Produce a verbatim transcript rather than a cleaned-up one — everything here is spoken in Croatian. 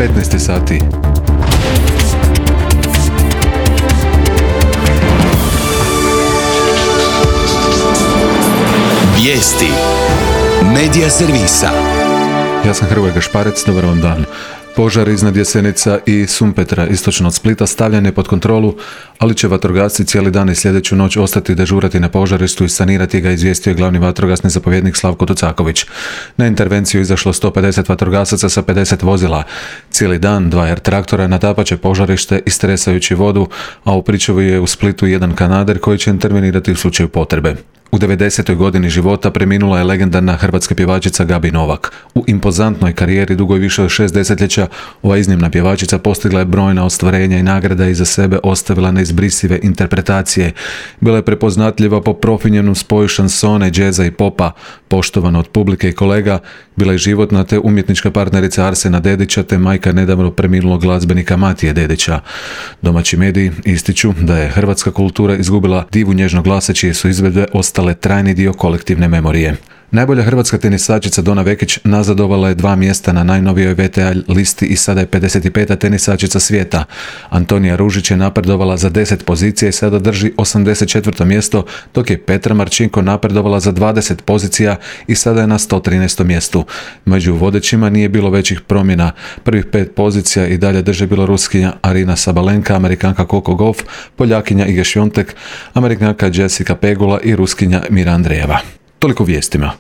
petnaest sati. Vijesti Medija servisa. Ja sam Hrvoje Gašparec, dobar vam dan. Požar iznad Jesenica i Sumpetra, istočno od Splita, stavljen je pod kontrolu, ali će vatrogasci cijeli dan i sljedeću noć ostati dežurati na požarištu i sanirati ga, izvijestio je glavni vatrogasni zapovjednik Slavko Tucaković. Na intervenciju izašlo sto pedeset vatrogasaca sa pedeset vozila. Cijeli dan dva er traktora natapat će požarište istresajući vodu, a u pričuvi je u Splitu jedan kanader koji će intervenirati u slučaju potrebe. U devedesetoj godini života preminula je legendarna hrvatska pjevačica Gabi Novak. U impozantnoj karijeri dugoj više od šest desetljeća ova iznimna pjevačica postigla je brojna ostvarenja i nagrada i iza sebe ostavila neizbrisive interpretacije. Bila je prepoznatljiva po profinjenom spoju šansone, džeza i popa, poštovana od publike i kolega, bila je životna te umjetnička partnerica Arsena Dedića te majka nedavno preminulog glazbenika Matije Dedića. Domaći mediji ističu da je hrvatska kultura izgubila divu nježnog glasa čije su izvedbe ostale trajni dio kolektivne memorije. Najbolja hrvatska tenisačica Dona Vekić nazadovala je dva mjesta na najnovijoj ve te a listi i sada je pedeset peta tenisačica svijeta. Antonija Ružić je napredovala za deset pozicija i sada drži osamdeset četvrto mjesto, dok je Petra Marčinko napredovala za dvadeset pozicija i sada je na sto trinaestom mjestu. Među vodećima nije bilo većih promjena. Prvih pet pozicija i dalje drže Bjeloruskinja Arina Sabalenka, Amerikanka Coco Gauff, Poljakinja Iga Świątek, Amerikanka Jessica Pegula i Ruskinja Mira Andreeva. Toliko vijestima.